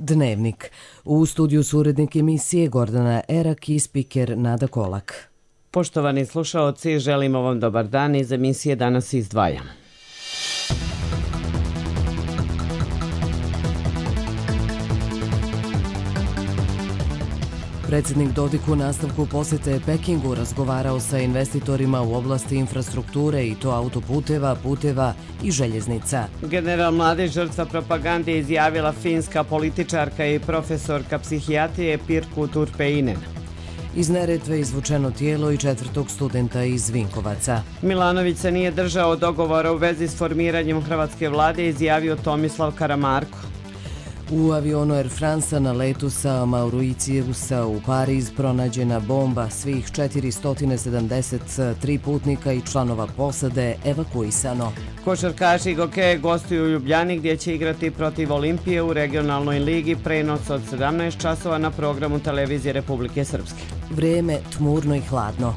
Dnevnik. U studiju su urednik emisije Gordana Erak i spiker Nada Kolak. Poštovani slušaoci, želimo vam dobar dan. Iz emisije danas izdvajamo. Predsjednik Dodik u nastavku posjete Pekingu razgovarao sa investitorima u oblasti infrastrukture i to autoputeva, puteva i željeznica. General mlade žrtva propagande izjavila finska političarka i profesorka psihijatrije Pirkku Turpeinen. Iz Neretve izvučeno tijelo i 4. studenta iz Vinkovaca. Milanović se nije držao dogovora u vezi s formiranjem hrvatske vlade, izjavio Tomislav Karamarko. U avionu Air France na letu sa Mauriciusa u Pariz pronađena bomba, svih 473 putnika i članova posade evakuisano. Košarkaši i gokeje gostuju u Ljubljani gdje će igrati protiv Olimpije u regionalnoj ligi, prenos od 17 časova na programu Televizije Republike Srpske. Vrijeme tmurno i hladno.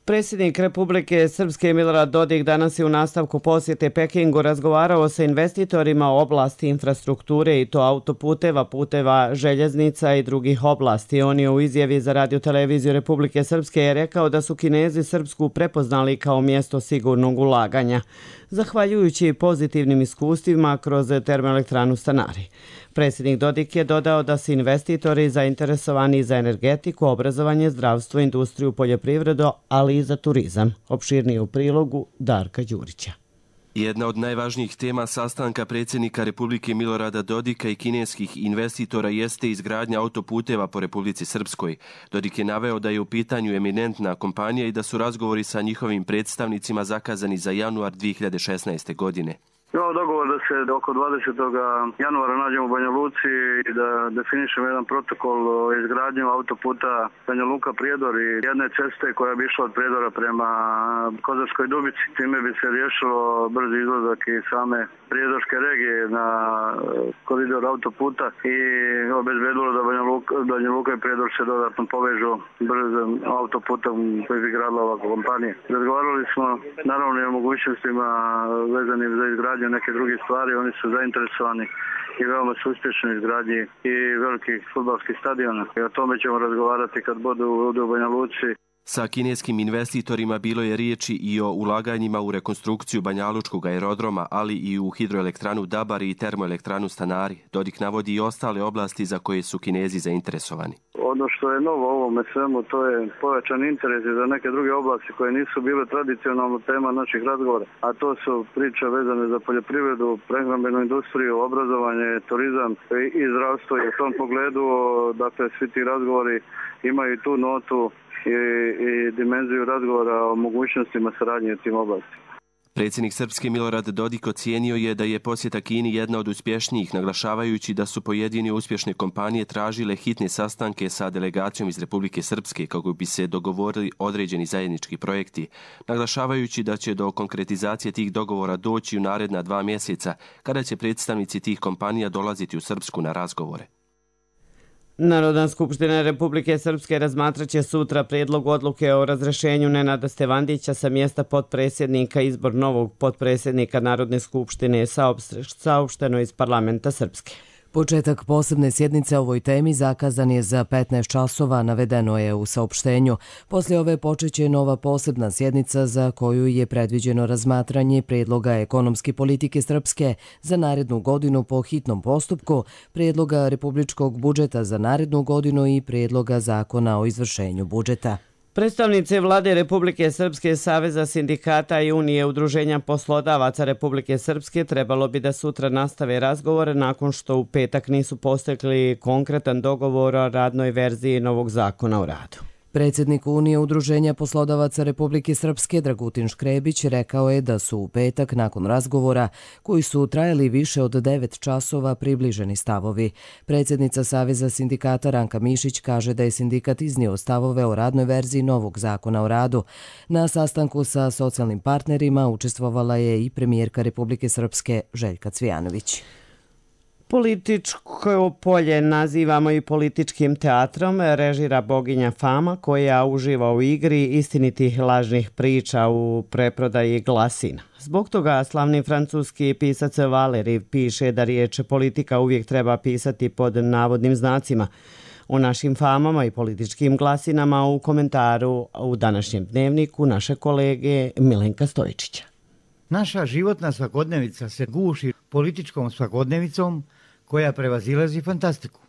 Predsjednik Republike Srpske Milorad Dodik danas je u nastavku posjete Pekingu razgovarao sa investitorima u oblasti infrastrukture i to autoputeva, puteva, željeznica i drugih oblasti. On je u izjavi za Radio Televiziju Republike Srpske rekao da su Kinezi Srpsku prepoznali kao mjesto sigurnog ulaganja, zahvaljujući pozitivnim iskustvima kroz termoelektranu Stanari. Predsjednik Dodik je dodao da su investitori zainteresovani za energetiku, obrazovanje, zdravstvo, industriju, poljoprivredu, ali i za turizam. Opširnije u prilogu Darka Đurića. Jedna od najvažnijih tema sastanka predsjednika Republike Milorada Dodika i kineskih investitora jeste izgradnja autoputeva po Republici Srpskoj. Dodik je naveo da je u pitanju eminentna kompanija i da su razgovori sa njihovim predstavnicima zakazani za januar 2016. godine. Imamo dogovor da se oko 20. januara nađemo u Banja Luci i da definišemo jedan protokol o izgradnju autoputa Banja Luka-Prijedor i jedne ceste koja bi išla od Prijedora prema Kozarskoj Dubici. Time bi se riješilo brzi izlazak i same prijedorske regije na koridor autoputa i obezbedilo da Banja Luka i Prijedor se dodatno povežu brzim autoputom koji bi gradila ova kompanija. Razgovarali smo naravno i o mogućnostima vezanim za izgradnju neke druge stvari, oni su zainteresovani i veoma su uspješni izgradnji i velikih fudbalskih stadiona. I o tome ćemo razgovarati kad budu u Banja Luci. Sa kineskim investitorima bilo je riječi i o ulaganjima u rekonstrukciju Banjalučkog aerodroma, ali i u hidroelektranu Dabari i termoelektranu Stanari. Dodik navodi i ostale oblasti za koje su Kinezi zainteresovani. Ono što je novo ovome svemu, to je povećan interes za neke druge oblasti koje nisu bile tradicionalno tema naših razgovora, a to su priče vezane za poljoprivredu, prehrambenu industriju, obrazovanje, turizam i zdravstvo. I u tom pogledu, dakle, svi ti razgovori imaju tu notu i dimenziju razgovora o mogućnostima saradnje u tim oblastima. Predsjednik Srpske Milorad Dodik ocijenio je da je posjeta Kini jedna od uspješnijih, naglašavajući da su pojedine uspješne kompanije tražile hitne sastanke sa delegacijom iz Republike Srpske kako bi se dogovorili određeni zajednički projekti, naglašavajući da će do konkretizacije tih dogovora doći u naredna 2 mjeseca, kada će predstavnici tih kompanija dolaziti u Srpsku na razgovore. Narodna skupština Republike Srpske razmatraće sutra prijedlog odluke o razrješenju Nenada Stevandića sa mjesta potpredsjednika. Izbor novog potpredsjednika Narodne skupštine je saopšteno iz parlamenta Srpske. Početak posebne sjednice o ovoj temi zakazan je za 15 časova, navedeno je u saopštenju. Poslije ove počeće nova posebna sjednica za koju je predviđeno razmatranje prijedloga ekonomske politike Srpske za narednu godinu po hitnom postupku, prijedloga republičkog budžeta za narednu godinu i prijedloga zakona o izvršenju budžeta. Predstavnici vlade Republike Srpske, Saveza sindikata i Unije udruženja poslodavaca Republike Srpske trebalo bi da sutra nastave razgovore nakon što u petak nisu postigli konkretan dogovor o radnoj verziji novog zakona o radu. Predsjednik Unije udruženja poslodavaca Republike Srpske Dragutin Škrebić rekao je da su u petak nakon razgovora koji su trajali više od 9 časova približeni stavovi. Predsjednica Saveza sindikata Ranka Mišić kaže da je sindikat iznio stavove o radnoj verziji novog zakona o radu. Na sastanku sa socijalnim partnerima učestvovala je i premijerka Republike Srpske Željka Cvijanović. Političko polje nazivamo i političkim teatrom, režira boginja Fama koja uživa u igri istinitih lažnih priča u preprodaji glasina. Zbog toga slavni francuski pisac Valéry piše da riječ politika uvijek treba pisati pod navodnim znacima. O našim famama i političkim glasinama u komentaru u današnjem dnevniku naše kolege Milenka Stojičića. Naša životna svakodnevica se guši političkom svakodnevicom koja prevazilazi fantastiku.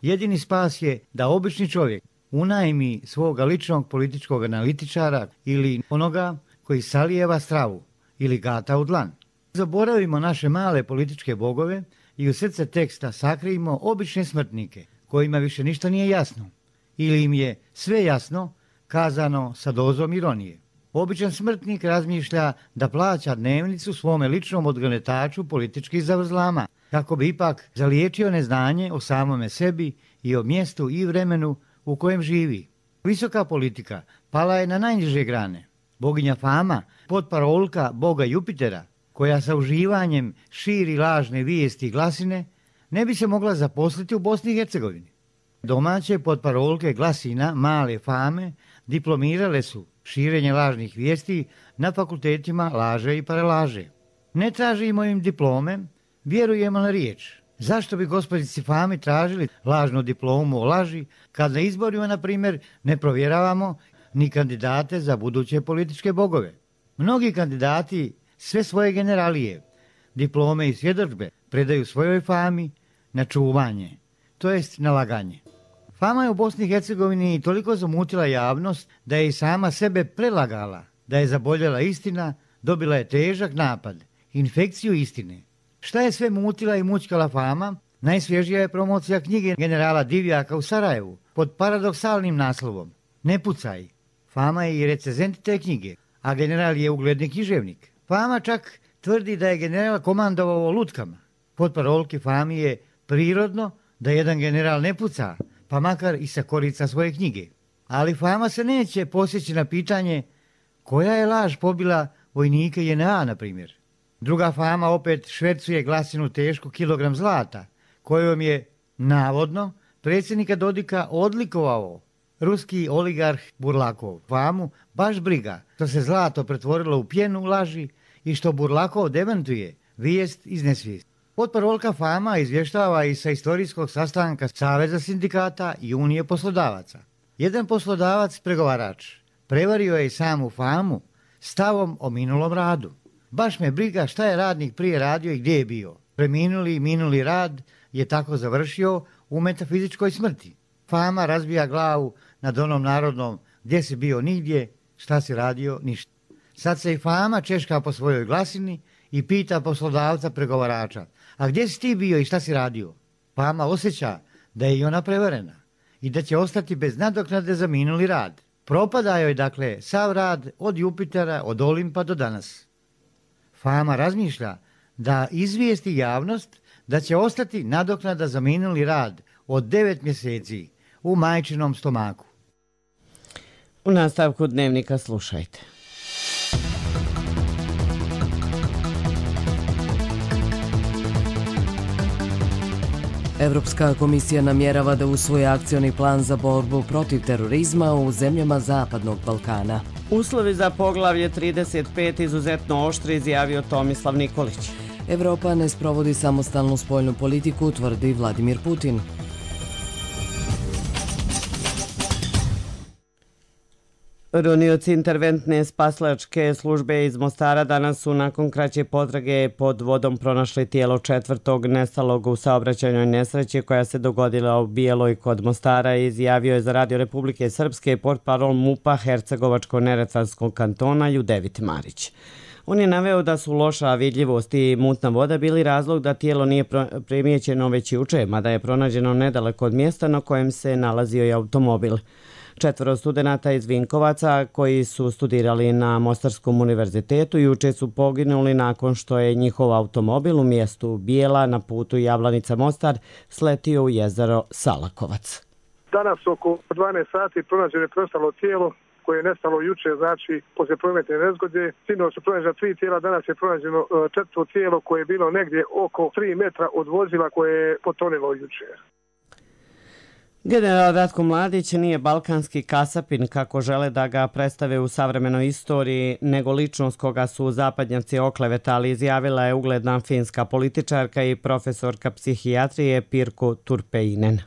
Jedini spas je da obični čovjek unajmi svoga ličnog političkog analitičara ili onoga koji salijeva stravu ili gata u dlan. Zaboravimo naše male političke bogove i u srce teksta sakrijimo obične smrtnike kojima više ništa nije jasno ili im je sve jasno kazano sa dozom ironije. Običan smrtnik razmišlja da plaća dnevnicu svome ličnom odgonetaču političkih zavrzlama, kako bi ipak zaliječio neznanje o samome sebi i o mjestu i vremenu u kojem živi. Visoka politika pala je na najniže grane. Boginja Fama, potparolka boga Jupitera, koja sa uživanjem širi lažne vijesti i glasine, ne bi se mogla zaposliti u Bosni i Hercegovini. Domaće potparolke glasina male Fame diplomirale su širenje lažnih vijesti na fakultetima laže i paralaže. Ne tražimo im diplome, vjerujemo na riječ. Zašto bi gospođici Fami tražili lažnu diplomu o laži, kad na izborima, na primjer, ne provjeravamo ni kandidate za buduće političke bogove? Mnogi kandidati sve svoje generalije, diplome i svjedodžbe predaju svojoj Fami na čuvanje, to jest na laganje. Fama je u Bosni i Hercegovini toliko zamutila javnost da je i sama sebe prelagala, da je zaboljela istina, dobila je težak napad, infekciju istine. Šta je sve mutila i mućkala Fama? Najsvježija je promocija knjige generala Divjaka u Sarajevu pod paradoksalnim naslovom Ne pucaj. Fama je i recenzent te knjige, a general je ugledni književnik. Fama čak tvrdi da je general komandovao lutkama. Potparolki Fami je prirodno da jedan general ne puca, pa makar i sa korica svoje knjige. Ali Fama se neće posjeći na pitanje koja je laž pobila vojnike JNA, na primjer. Druga Fama opet švercuje glasinu tešku kilogram zlata, kojom je, navodno, predsjednika Dodika odlikovao ruski oligarh Burlakov. Famu baš briga što se zlato pretvorilo u pjenu laži i što Burlakov demantuje vijest iz nesvijesti. Potparolka Fama izvještava i sa istorijskog sastanka Saveza sindikata i Unije poslodavaca. Jedan poslodavac pregovarač prevario je i samu Famu stavom o minulom radu. Baš me briga šta je radnik prije radio i gdje je bio. Preminuli i minuli rad je tako završio u metafizičkoj smrti. Fama razbija glavu nad onom narodnom gdje si bio nigdje, šta si radio ništa. Sad se i Fama češka po svojoj glasini i pita poslodavca pregovarača, a gdje si ti bio i šta si radio? Fama osjeća da je i ona prevarena i da će ostati bez nadoknade za minuli rad. Propada joj dakle sav rad od Jupitera, od Olimpa do danas. Fama razmišlja da izvijesti javnost da će ostati nadoknada za minuli rad od 9 mjeseci u majčinom stomaku. U nastavku dnevnika slušajte. Evropska komisija namjerava da usvoji akcioni plan za borbu protiv terorizma u zemljama Zapadnog Balkana. Uslovi za poglavlje 35 izuzetno oštri, izjavio Tomislav Nikolić. Evropa ne sprovodi samostalnu spoljnu politiku, tvrdi Vladimir Putin. Ronioci interventne spaslačke službe iz Mostara danas su nakon kraće potrage pod vodom pronašli tijelo četvrtog nestalog u saobraćajnoj nesreći koja se dogodila u Bijeloj kod Mostara, izjavio je za Radio Republike Srpske portparol MUP-a Hercegovačko-Neretvanskog kantona Judevit Marić. On je naveo da su loša vidljivost i mutna voda bili razlog da tijelo nije primijećeno već juče, mada je pronađeno nedaleko od mjesta na kojem se nalazio i automobil. 4 studenata iz Vinkovaca koji su studirali na Mostarskom univerzitetu juče su poginuli nakon što je njihov automobil u mjestu Bijela na putu Javlanica-Mostar sletio u jezero Salakovac. Danas oko 12 sati pronađeno je preostalo tijelo koje je nestalo juče, znači poslije prometne nezgode. Sinoć su pronađena 3 tijela, danas je pronađeno 4. tijelo koje je bilo negdje oko 3 metra od vozila koje je potonilo juče. General Ratko Mladić nije balkanski kasapin, kako žele da ga predstave u savremenoj istoriji, nego ličnost koga su zapadnjaci oklevetali, izjavila je ugledna finska političarka i profesorka psihijatrije Pirkko Turpeinen.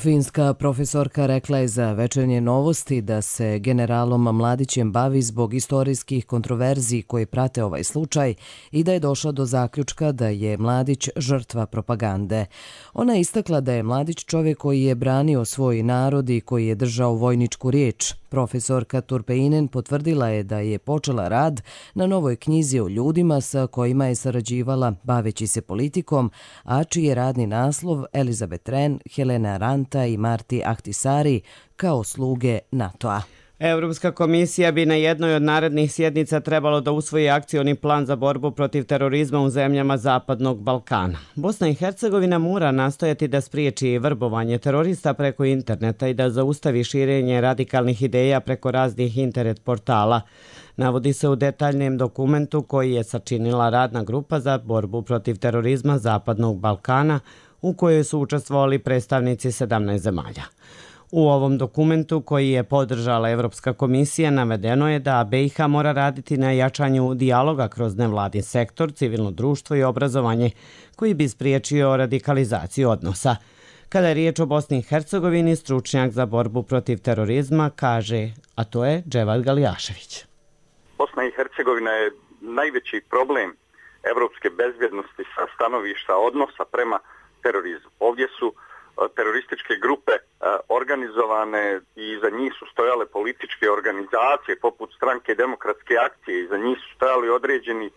Finska profesorka rekla je za Večernje novosti da se generalom Mladićem bavi zbog istorijskih kontroverziji koji prate ovaj slučaj i da je došla do zaključka da je Mladić žrtva propagande. Ona je istakla da je Mladić čovjek koji je branio svoj narod i koji je držao vojničku riječ. Profesorka Turpeinen potvrdila je da je počela rad na novoj knjizi o ljudima sa kojima je sarađivala baveći se politikom, a čiji je radni naslov Elizabeth Wren, Helena Aranta i Marti Ahtisaari kao sluge NATO-a. Europska komisija bi na jednoj od narednih sjednica trebalo da usvoji akcioni plan za borbu protiv terorizma u zemljama Zapadnog Balkana. Bosna i Hercegovina mora nastojati da spriječi vrbovanje terorista preko interneta i da zaustavi širenje radikalnih ideja preko raznih internet portala. Navodi se u detaljnom dokumentu koji je sačinila radna grupa za borbu protiv terorizma Zapadnog Balkana, u kojoj su učestvovali predstavnici 17 zemalja. U ovom dokumentu koji je podržala Evropska komisija navedeno je da BiH mora raditi na jačanju dijaloga kroz nevladin sektor, civilno društvo i obrazovanje koji bi spriječio radikalizaciju odnosa. Kada je riječ o Bosni i Hercegovini, stručnjak za borbu protiv terorizma kaže, a to je Dževad Galijašević. Bosna i Hercegovina je najveći problem evropske bezbjednosti sa stanovišta odnosa prema terorizmu. Ovdje su terorističke grupe organizovane i iza njih su stojale političke organizacije poput Stranke demokratske akcije, iza njih su stojali određeni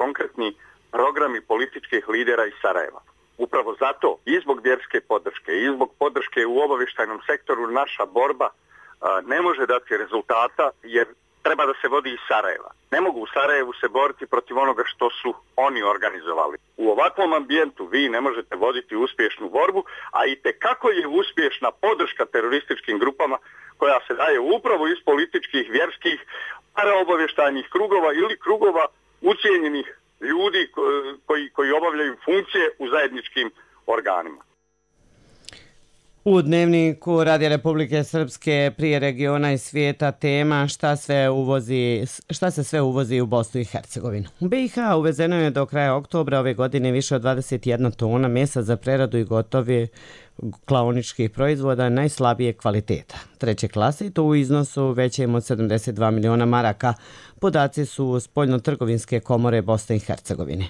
konkretni programi političkih lidera iz Sarajeva. Upravo zato i zbog vjerske podrške i zbog podrške u obavještajnom sektoru naša borba ne može dati rezultata jer treba da se vodi iz Sarajeva. Ne mogu u Sarajevu se boriti protiv onoga što su oni organizovali. U ovakvom ambijentu vi ne možete voditi uspješnu borbu, a i tekako je uspješna podrška terorističkim grupama koja se daje upravo iz političkih, vjerskih, paraobavještajnih krugova ili krugova ucijenjenih ljudi koji obavljaju funkcije u zajedničkim organima. U dnevniku Radija Republike Srpske prije regiona i svijeta tema šta se sve uvozi u Bosnu i Hercegovinu. U BiH uvezeno je do kraja oktobra ove godine više od 21 tona mesa za preradu i gotovi klaoničkih proizvoda najslabije kvaliteta. Treće klase i to u iznosu većem od 72 miliona maraka. Podaci su spoljno-trgovinske komore Bosne i Hercegovine.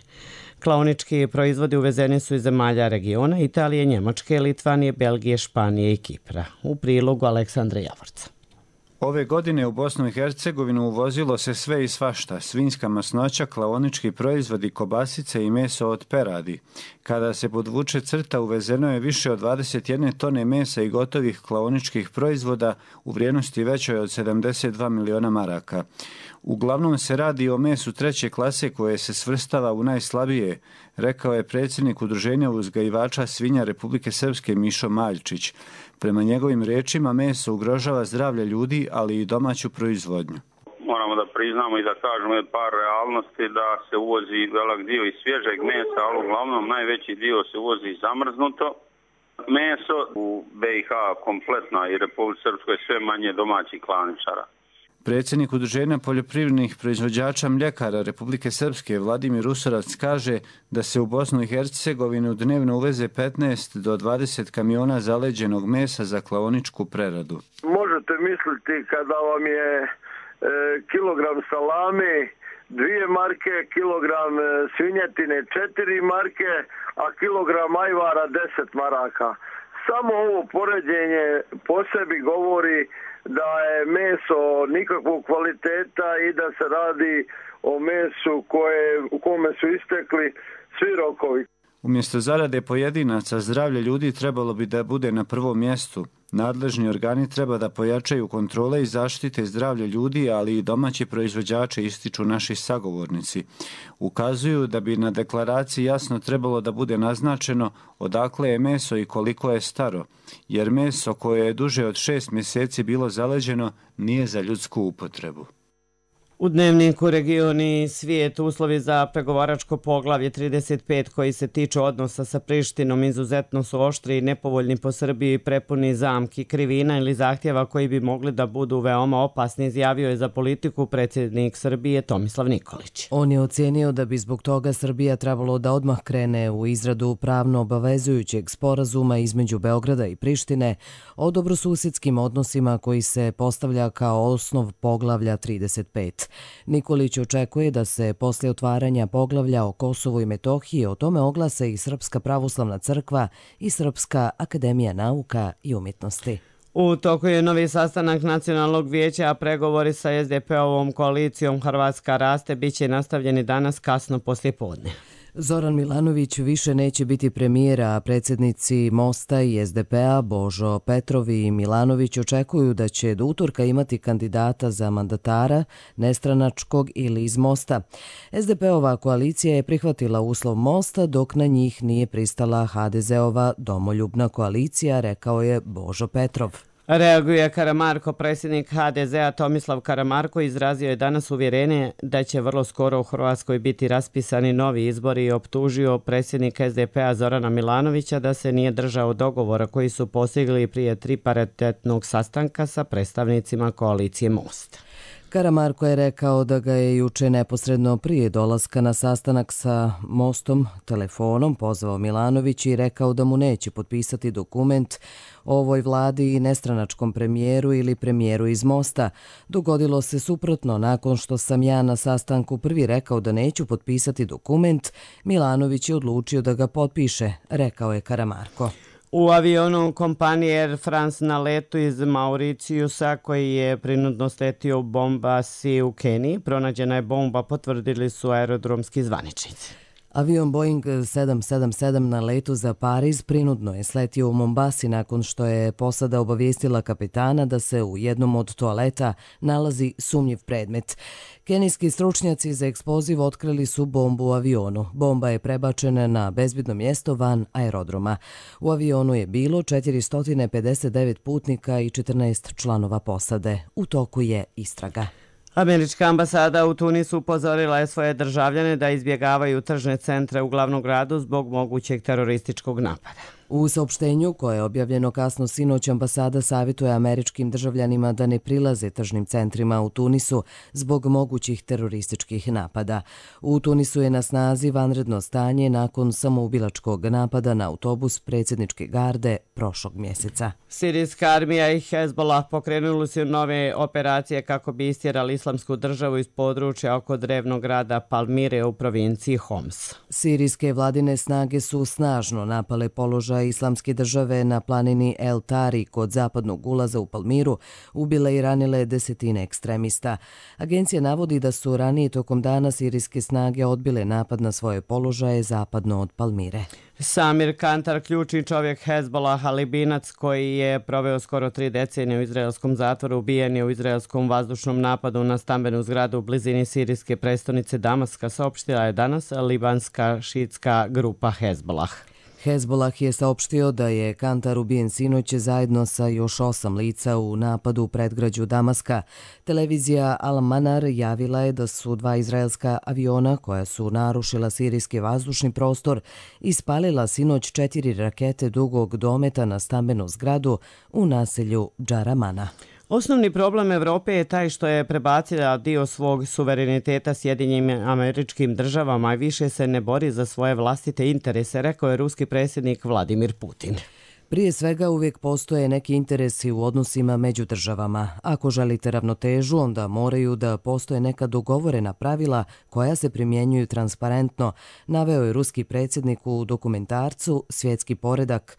Klaonički proizvodi uvezeni su iz zemalja regiona Italije, Njemačke, Litvanije, Belgije, Španije i Kipra. U prilogu Aleksandra Javorca. Ove godine u Bosnu i Hercegovinu uvozilo se sve i svašta, svinjska masnoća, klaonički proizvodi, kobasice i meso od peradi. Kada se podvuče crta, uvezeno je više od 21 tone mesa i gotovih klaoničkih proizvoda u vrijednosti većoj od 72 miliona maraka. Uglavnom se radi o mesu treće klase koje se svrstava u najslabije, rekao je predsjednik Udruženja uzgajivača svinja Republike Srpske Mišo Maljčić. Prema njegovim riječima meso ugrožava zdravlje ljudi, ali i domaću proizvodnju. Moramo da priznamo i da kažemo par realnosti da se uvozi velik dio iz svježeg mesa, ali uglavnom najveći dio se uvozi zamrznuto meso. U BiH kompletno i Republike Srpskoj sve manje domaćih klaničara. Predsjednik Udruženja poljoprivrednih proizvođača mljekara Republike Srpske Vladimir Usorac kaže da se u Bosnu i Hercegovinu dnevno uveze 15 do 20 kamiona zaleđenog mesa za klaoničku preradu. Možete misliti kada vam je kilogram salame 2 marke, kilogram svinjetine 4 marke, a kilogram ajvara 10 maraka. Samo ovo poređenje po sebi govori da je meso nikakvog kvaliteta i da se radi o mesu u kome su istekli svi rokovi. Umjesto zarade pojedinaca, zdravlje ljudi trebalo bi da bude na prvom mjestu. Nadležni organi treba da pojačaju kontrole i zaštite zdravlje ljudi, ali i domaći proizvođači, ističu naši sagovornici. Ukazuju da bi na deklaraciji jasno trebalo da bude naznačeno odakle je meso i koliko je staro, jer meso koje je duže od 6 mjeseci bilo zaleđeno nije za ljudsku upotrebu. U dnevniku regioni svijet uslovi za pregovaračko poglavlje 35 koji se tiče odnosa sa Prištinom izuzetno su oštri i nepovoljni po Srbiji, prepuni zamki, krivina ili zahtjeva koji bi mogli da budu veoma opasni, izjavio je za Politiku predsjednik Srbije Tomislav Nikolić. On je ocijenio da bi zbog toga Srbija trebalo da odmah krene u izradu pravno obavezujućeg sporazuma između Beograda i Prištine o dobrosusjedskim odnosima koji se postavlja kao osnov poglavlja 35. Nikolić očekuje da se poslije otvaranja poglavlja o Kosovu i Metohiji o tome oglase i Srpska pravoslavna crkva i Srpska akademija nauka i umjetnosti. U toku je novi sastanak Nacionalnog vijeća, a pregovori sa SDP-ovom koalicijom Hrvatska raste biće nastavljeni danas kasno poslijepodne. Zoran Milanović više neće biti premijer, a predsjednici Mosta i SDP-a Božo Petrov i Milanović očekuju da će do utorka imati kandidata za mandatara, nestranačkog ili iz Mosta. SDP-ova koalicija je prihvatila uslov Mosta, dok na njih nije pristala HDZ-ova domoljubna koalicija, rekao je Božo Petrov. Reaguje Karamarko. Predsjednik HDZ-a Tomislav Karamarko izrazio je danas uvjerenje da će vrlo skoro u Hrvatskoj biti raspisani novi izbori i optužio predsjednika SDP-a Zorana Milanovića da se nije držao dogovora koji su postigli prije triparitetnog sastanka sa predstavnicima koalicije Most. Karamarko je rekao da ga je juče neposredno prije dolaska na sastanak sa Mostom telefonom pozvao Milanović i rekao da mu neće potpisati dokument o ovoj vladi i nestranačkom premijeru ili premijeru iz Mosta. Dogodilo se suprotno. Nakon što sam ja na sastanku prvi rekao da neću potpisati dokument, Milanović je odlučio da ga potpiše, rekao je Karamarko. U avionu kompanije Air France na letu iz Mauriciusa koji je prinudno sletio u Bombasi u Keniji pronađena je bomba, potvrdili su aerodromski zvaničnici. Avion Boeing 777 na letu za Pariz prinudno je sletio u Mombasi nakon što je posada obavijestila kapitana da se u jednom od toaleta nalazi sumnjiv predmet. Kenijski stručnjaci za eksploziv otkrili su bombu u avionu. Bomba je prebačena na bezbedno mjesto van aerodroma. U avionu je bilo 459 putnika i 14 članova posade. U toku je istraga. Američka ambasada u Tunisu upozorila je svoje državljane da izbjegavaju tržne centre u glavnom gradu zbog mogućeg terorističkog napada. U saopštenju koje je objavljeno kasno sinoć, ambasada savjetuje američkim državljanima da ne prilaze tržnim centrima u Tunisu zbog mogućih terorističkih napada. U Tunisu je na snazi vanredno stanje nakon samoubilačkog napada na autobus predsjedničke garde prošlog mjeseca. Sirijska armija i Hezbollah pokrenuli su nove operacije kako bi istjerali islamsku državu iz područja oko drevnog grada Palmire u provinciji Homs. Sirijske vladine snage su snažno napale položaj islamske države na planini El Tari kod zapadnog ulaza u Palmiru, ubile i ranile desetine ekstremista. Agencija navodi da su ranije tokom dana sirijske snage odbile napad na svoje položaje zapadno od Palmire. Samir Kantar, ključni čovjek Hezbollaha, Libinac koji je proveo skoro 3 decenije u izraelskom zatvoru, ubijen je u izraelskom vazdušnom napadu na stambenu zgradu u blizini sirijske prestonice Damaska, saopštila je danas libanska šiitska grupa Hezbollah. Hezbollah je saopštio da je Kantar ubijen sinoć zajedno sa još 8 lica u napadu u predgrađu Damaska. Televizija Al-Manar javila je da su 2 izraelska aviona koja su narušila sirijski vazdušni prostor ispalila sinoć 4 rakete dugog dometa na stambenu zgradu u naselju Džaramana. Osnovni problem Evrope je taj što je prebacila dio svog suvereniteta Sjedinjenim Američkim Državama i više se ne bori za svoje vlastite interese, rekao je ruski predsjednik Vladimir Putin. Prije svega uvijek postoje neki interesi u odnosima među državama. Ako želite ravnotežu, onda moraju da postoje neka dogovorena pravila koja se primjenjuju transparentno, naveo je ruski predsjednik u dokumentarcu Svjetski poredak.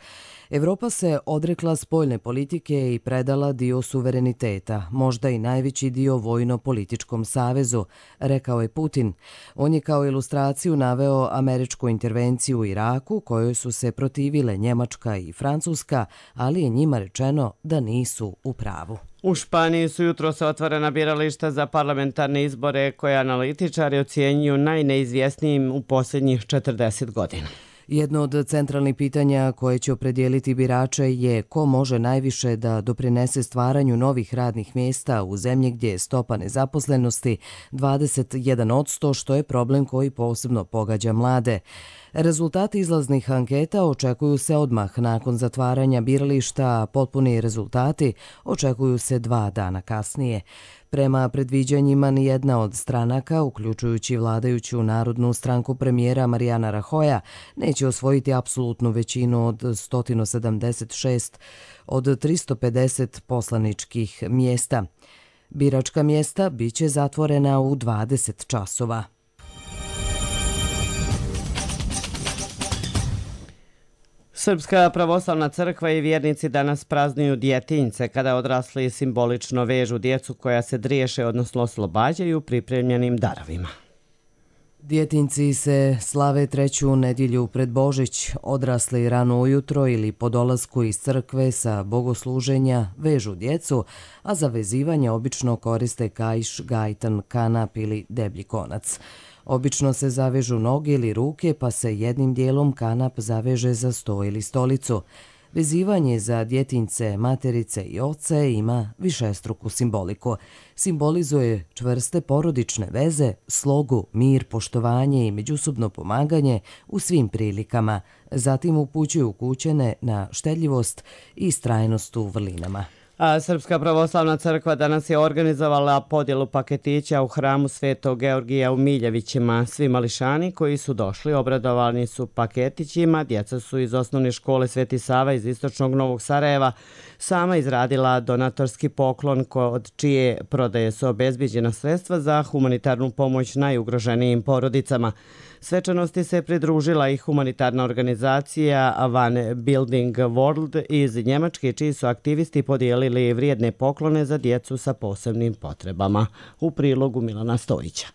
Evropa se odrekla spoljne politike i predala dio suvereniteta, možda i najveći dio vojno-političkom savezu, rekao je Putin. On je kao ilustraciju naveo američku intervenciju u Iraku, kojoj su se protivile Njemačka i Francuska, ali je njima rečeno da nisu u pravu. U Španiji su jutros otvorena birališta za parlamentarne izbore koje analitičari ocjenjuju najneizvjesnijim u posljednjih 40 godina. Jedno od centralnih pitanja koje će opredijeliti birače je ko može najviše da doprinese stvaranju novih radnih mjesta u zemlji gdje je stopa nezaposlenosti 21%, što je problem koji posebno pogađa mlade. Rezultati izlaznih anketa očekuju se odmah nakon zatvaranja birališta, a potpuni rezultati očekuju se 2 dana kasnije. Prema predviđanjima, nijedna od stranaka, uključujući vladajuću Narodnu stranku premijera Mariana Rajoya, neće osvojiti apsolutnu većinu od 176 od 350 poslaničkih mjesta. Biračka mjesta biće zatvorena u 20 časova. Srpska pravoslavna crkva i vjernici danas praznuju Djetinjce, kada odrasli simbolično vežu djecu koja se driješe, odnosno oslobađaju pripremljenim darovima. Djetinjci se slave 3. nedjelju pred Božić. Odrasli rano ujutro ili po dolasku iz crkve sa bogosluženja vežu djecu, a za vezivanje obično koriste kaiš, gajtan, kanap ili deblji konac. Obično se zavežu noge ili ruke, pa se jednim dijelom kanap zaveže za sto ili stolicu. Vezivanje za djetinjce, materice i oce ima višestruku simboliku. Simbolizuje čvrste porodične veze, slogu, mir, poštovanje i međusobno pomaganje u svim prilikama. Zatim upućuju kućene na štedljivost i istrajnost u vrlinama. A Srpska pravoslavna crkva danas je organizovala podjelu paketića u hramu Svetog Georgija u Miljevićima. Svi mališani koji su došli obradovani su paketićima. Djeca su iz osnovne škole Sveti Sava iz istočnog Novog Sarajeva sama izradila donatorski poklon od čije prodaje su obezbiđena sredstva za humanitarnu pomoć najugroženijim porodicama. Svečanosti se pridružila i humanitarna organizacija One Building World iz Njemačke, čiji su aktivisti podijelili vrijedne poklone za djecu sa posebnim potrebama. U prilogu Milana Stojića.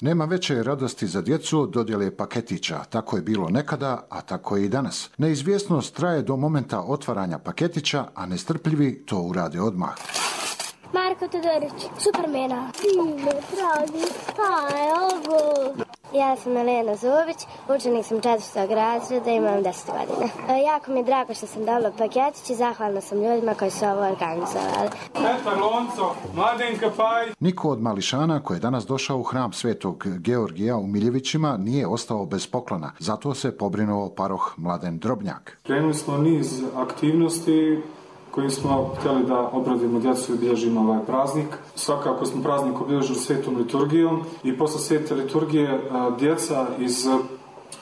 Nema veće radosti za djecu od dodjele paketića. Tako je bilo nekada, a tako je i danas. Neizvjesnost traje do momenta otvaranja paketića, a nestrpljivi to urade odmah. Marko Todorić, Supermena. Sine, dragi, šta je ovo? Ja sam Elena Zović, učenik sam 4. razreda, imam 10 godina. Jako mi je drago što sam dobila paketić i zahvalna sam ljudima koji su ovo organizovali. Petar Lonco, Mladenka Paj. Niko od mališana koji je danas došao u hram Svetog Georgija u Miljevićima nije ostao bez poklona. Zato se pobrinuo paroh Mladen Drobnjak. Krenuli smo niz aktivnosti kojim smo htjeli da obradimo djecu i obilježimo ovaj praznik. Svakako smo praznik obilježili svetom liturgijom i posle svete liturgije djeca iz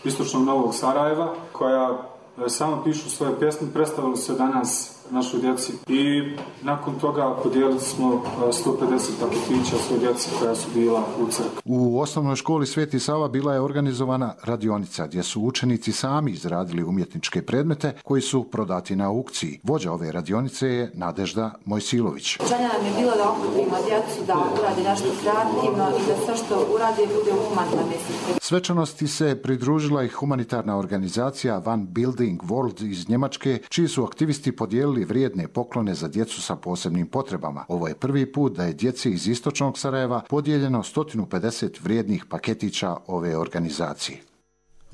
istočnog Novog Sarajeva, koja samo pišu svoje pjesme, predstavili se danas našoj djeci i nakon toga podijelili smo 150 paketića svoj djeci koja su bila u crkvi. U osnovnoj školi Sveti Sava bila je organizovana radionica gdje su učenici sami izradili umjetničke predmete koji su prodati na aukciji. Vođa ove radionice je Nadežda Mojsilović. Želja nam je bilo da okupimo djecu, da uradi nešto kreativno i da sve što uradi bude u humanitarnoj misli. Svečanosti se pridružila i humanitarna organizacija One Building World iz Njemačke, čiji su aktivisti podijelili vrijedne poklone za djecu sa posebnim potrebama. Ovo je prvi put da je djeci iz istočnog Sarajeva podijeljeno 150 vrijednih paketića ove organizacije.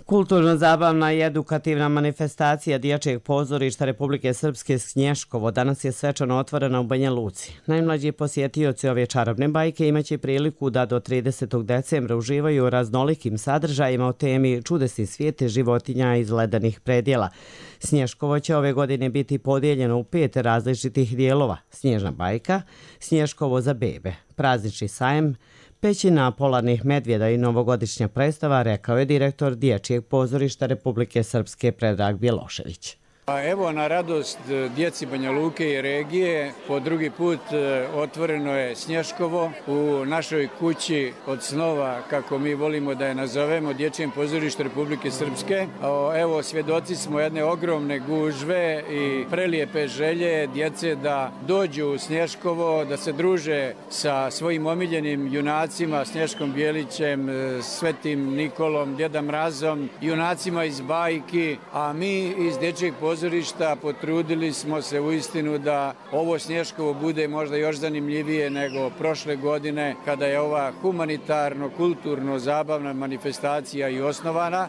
Kulturno-zabavna i edukativna manifestacija Dječjeg pozorišta Republike Srpske Snješkovo danas je svečano otvorena u Banja Luci. Najmlađi posjetioci ove čarobne bajke imaće priliku da do 30. decembra uživaju u raznolikim sadržajima o temi čudesni svijete životinja iz ledenih predjela. Snješkovo će ove godine biti podijeljeno u 5 različitih dijelova: Snježna bajka, Snješkovo za bebe, praznični sajem, pećina polarnih medvjeda i novogodišnja predstava, rekao je direktor Dječjeg pozorišta Republike Srpske Predrag Bjelošević. A evo, na radost djeci Banja Luke i regije, po drugi put otvoreno je Snješkovo u našoj kući od snova, kako mi volimo da je nazovemo, Dječjem pozorištu Republike Srpske. Evo, svjedoci smo jedne ogromne gužve i prelijepe želje djece da dođu u Snješkovo, da se druže sa svojim omiljenim junacima, Snješkom Bijelićem, Svetim Nikolom, Djeda Mrazom, junacima iz bajki, a mi iz Dječjeg pozorišta potrudili smo se uistinu da ovo Snješkovo bude možda još zanimljivije nego prošle godine kada je ova humanitarno-kulturno-zabavna manifestacija i osnovana.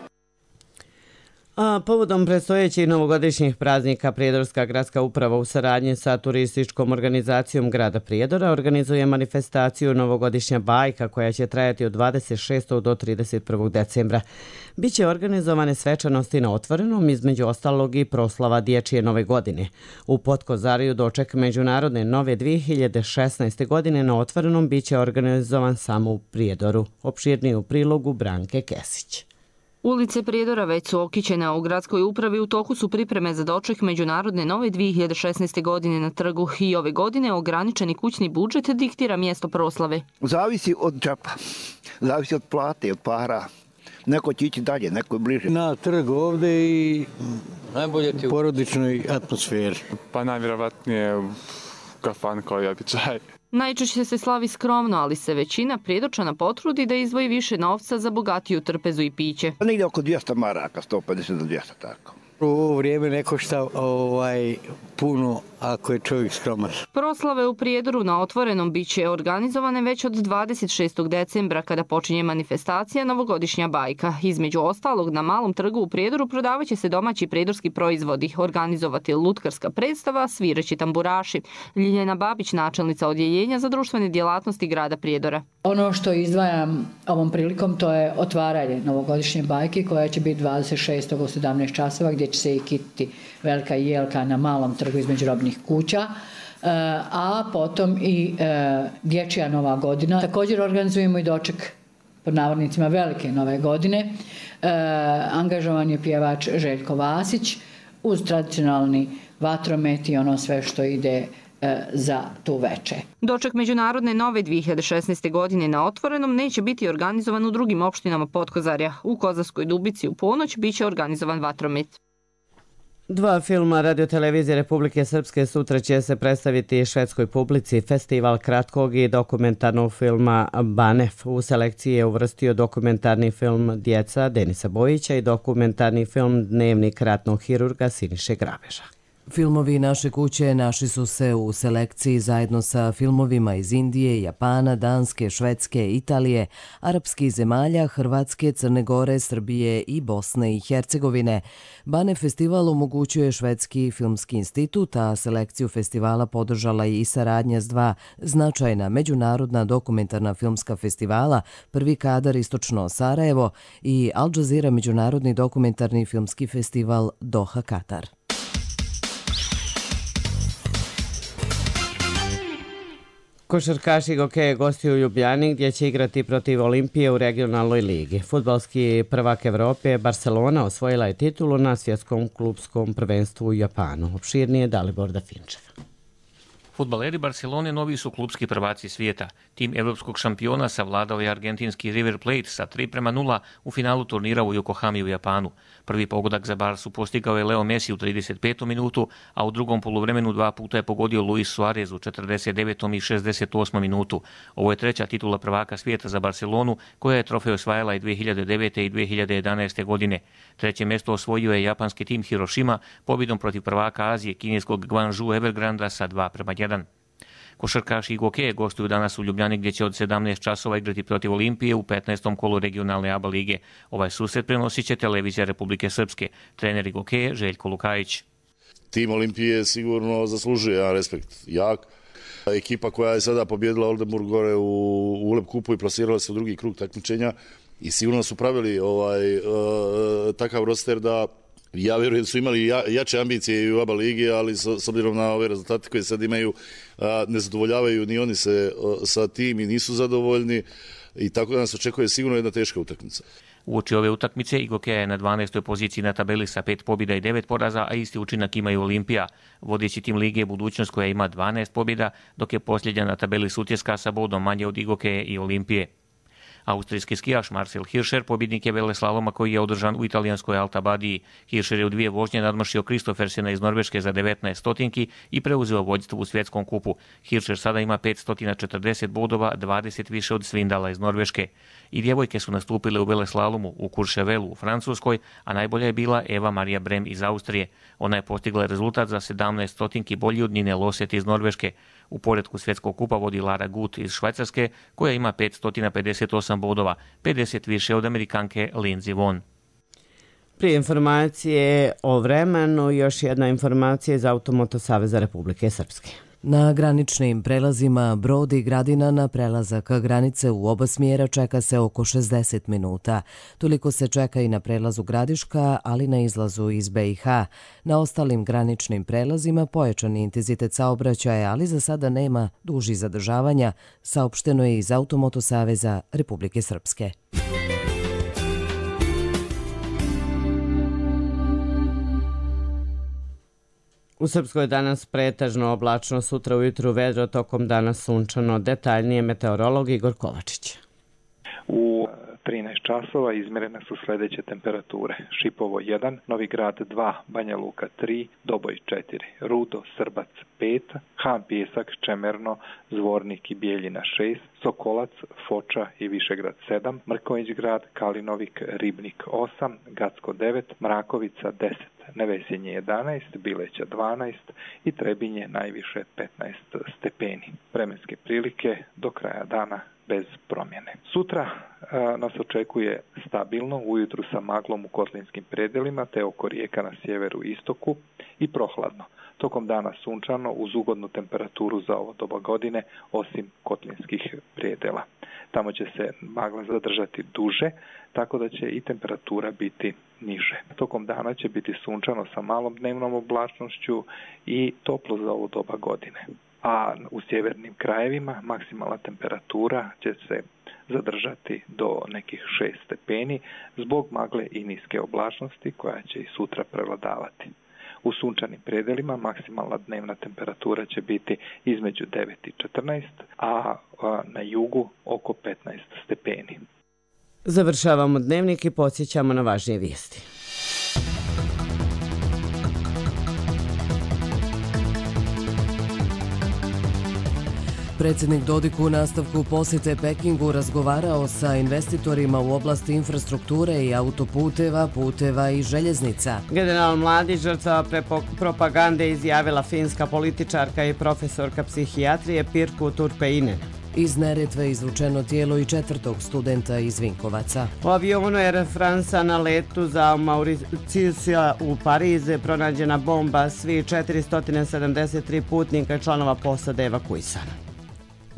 A povodom predstojećih novogodišnjih praznika Prijedorska gradska uprava u saradnji sa turističkom organizacijom grada Prijedora organizuje manifestaciju Novogodišnja bajka koja će trajati od 26. do 31. decembra. Biće organizovane svečanosti na otvorenom, između ostalog i proslava Dječje nove godine. U Potkozariju doček Međunarodne nove 2016. godine na otvorenom biće organizovan samo u Prijedoru. Opširnije u prilogu Branke Kesić. Ulice Prijedora već su okićene, a u gradskoj upravi u toku su pripreme za doček Međunarodne nove 2016. godine na trgu i ove godine ograničeni kućni budžet diktira mjesto proslave. Zavisi od džepa, zavisi od plate, od para. Neko će ići dalje, neko je bliže. Na trgu ovdje i najbolje u porodičnoj atmosferi. Pa najvjerovatnije kafan kao i običaj. Najčešće se slavi skromno, ali se većina Prijedorčana potrudi da izdvoji više novca za bogatiju trpezu i piće. Negdje oko 200 maraka, 150 do 200 tako. U ovo vrijeme ne košta puno ako je čovjek skroman. Proslave u Prijedoru na otvorenom biće organizovane već od 26. decembra kada počinje manifestacija Novogodišnja bajka. Između ostalog, na malom trgu u Prijedoru prodavaće se domaći prijedorski proizvodi, organizovati lutkarska predstava, svireći tamburaši. Ljiljana Babić, načelnica odjeljenja za društvene djelatnosti grada Prijedora. Ono što izdvajam ovom prilikom to je otvaranje Novogodišnje bajke koja će biti 26. u 17 časova gdje će se i kititi velika jelka na malom trgu između robnih kuća, a potom i Dječja nova godina. Također organizujemo i doček pod navodnicima velike nove godine. Angažovan je pjevač Željko Vasić uz tradicionalni vatromet i ono sve što ide za tu veče. Doček Međunarodne nove 2016. godine na otvorenom neće biti organizovan u drugim opštinama Potkozarja. U Kozarskoj Dubici u ponoć biće organizovan vatromet. 2 filma radiotelevizije Republike Srpske sutra će se predstaviti švedskoj publici. Festival kratkog i dokumentarnog filma Banef u selekciji je uvrstio dokumentarni film Djeca Denisa Bojića i dokumentarni film Dnevnik ratnog hirurga Siniše Grabeža. Filmovi naše kuće našli su se u selekciji zajedno sa filmovima iz Indije, Japana, Danske, Švedske, Italije, arapskih zemalja, Hrvatske, Crne Gore, Srbije i Bosne i Hercegovine. Bane festival omogućuje Švedski filmski institut, a selekciju festivala podržala i saradnja s 2 značajna međunarodna dokumentarna filmska festivala, Prvi kadar Istočno Sarajevo i Al Jazeera međunarodni dokumentarni filmski festival Doha, Katar. Košarkaši Gokeje gostuju u Ljubljani gdje će igrati protiv Olimpije u regionalnoj ligi. Fudbalski prvak Evrope Barcelona osvojila je titulu na svjetskom klubskom prvenstvu u Japanu. Opširnije Dalibor Dafinčev. Fudbaleri Barcelone novi su klubski prvaci svijeta. Tim evropskog šampiona savladao je argentinski River Plate sa 3:0 u finalu turnira u Yokohami u Japanu. Prvi pogodak za Barsu postigao je Leo Messi u 35. minutu, a u drugom poluvremenu 2 puta je pogodio Luis Suarez u 49. i 68. minutu. Ovo je 3. titula prvaka svijeta za Barcelonu, koja je trofej osvajala i 2009. i 2011. godine. 3. mjesto osvojio je japanski tim Hiroshima pobjedom protiv prvaka Azije, kineskog Guangzhou Evergranda sa 2:1. Košarkaši Gokeje gostuju danas u Ljubljani gdje će od 17 časova igrati protiv Olimpije u 15. kolu regionalne ABA lige. Ovaj susret prenosit će televizija Republike Srpske. Trener Gokeje Željko Lukajić. Tim Olimpije sigurno zaslužuje jedan respekt jak. Ekipa koja je sada pobjedila Oldenburg gore u ULEB kupu i plasirala se u drugi krug takmičenja i sigurno su pravili takav roster da ja vjerujem da su imali jače ambicije i u ABA ligi, ali s obzirom na ove rezultate koje sad imaju, ne zadovoljavaju ni oni se sa tim i nisu zadovoljni. i tako da nas očekuje sigurno jedna teška utakmica. Uoči ove utakmice Igokeja je na 12. poziciji na tabeli sa 5 pobjeda i 9 poraza, a isti učinak ima i Olimpija. Vodeći tim lige je Budućnost koja ima 12 pobjeda, dok je posljednja na tabeli Sutjeska sa bodom manje od Igokeje i Olimpije. Austrijski skijaš Marcel Hirscher pobjednik je veleslaloma koji je održan u italijanskoj Altabadiji. Hirscher je u 2 vožnje nadmašio Kristoffersena iz Norveške za 19 stotinki i preuzeo vođstvo u svjetskom kupu. Hirscher sada ima 540 bodova, 20 više od Svindala iz Norveške. I djevojke su nastupile u veleslalomu u Courchevelu u Francuskoj, a najbolja je bila Eva Maria Brem iz Austrije. Ona je postigla rezultat za 17 stotinki bolji od Nine Loset iz Norveške. U poretku svjetskog kupa vodi Lara Gut iz Švajcarske, koja ima 558 bodova, 50 više od Amerikanke Lindsey Vonn. Prije informacije o vremenu, još jedna informacija iz Automoto Saveza Republike Srpske. Na graničnim prelazima Brod i Gradina na prelazak granice u oba smjera čeka se oko 60 minuta. Toliko se čeka i na prelazu Gradiška, ali na izlazu iz BiH. Na ostalim graničnim prelazima pojačani intenzitet saobraćaja, ali za sada nema dužih zadržavanja, saopšteno je iz Automoto Saveza Republike Srpske. U Srpskoj je danas pretežno oblačno, sutra ujutru vedro, tokom dana sunčano. Detaljnije meteorolog Igor Kovačić. U 13 časova izmjerene su sljedeće temperature. Šipovo 1, Novi Grad 2, Banja Luka 3, Doboj 4, Rudo, Srbac 5, Han Pjesak, Čemerno, Zvornik i Bijeljina 6, Sokolac, Foča i Višegrad 7, Mrkonjić Grad, Kalinovik, Ribnik 8, Gacko 9, Mrakovica 10, Nevesinje 11, Bileća 12 i Trebinje najviše 15 stepeni. Vremenske prilike do kraja dana bez promjene. Sutra nas očekuje stabilno, ujutru sa maglom u kotlinskim predelima te oko rijeka na sjeveru i istoku i prohladno. Tokom dana sunčano uz ugodnu temperaturu za ovo doba godine osim kotlinskih predela. Tamo će se magla zadržati duže, tako da će i temperatura biti niže. Tokom dana će biti sunčano sa malom dnevnom oblačnošću i toplo za ovo doba godine. A u sjevernim krajevima maksimalna temperatura će se zadržati do nekih 6 stepeni zbog magle i niske oblačnosti koja će i sutra prevladavati. U sunčanim predelima maksimalna dnevna temperatura će biti između 9 i 14, a na jugu oko 15 stepeni. Završavamo dnevnik i podsjećamo na važnije vijesti. Predsjednik Dodik u nastavku posjete Pekingu razgovarao sa investitorima u oblasti infrastrukture i autoputeva, puteva i željeznica. General Mladić, žrtva propagande, izjavila finska političarka i profesorka psihijatrije Pirkku Turpeinen. Iz Neretve izvučeno tijelo i 4. studenta iz Vinkovaca. U avionu Air France na letu za Mauricija u Pariz pronađena bomba, svi 473 putnika i članova posade evakuisana.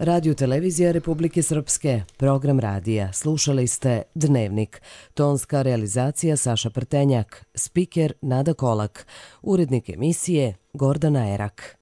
Radio Televizija Republike Srpske, program radija. Slušali ste Dnevnik. Tonska realizacija Saša Prtenjak, spiker Nada Kolak, urednik emisije Gordana Erak.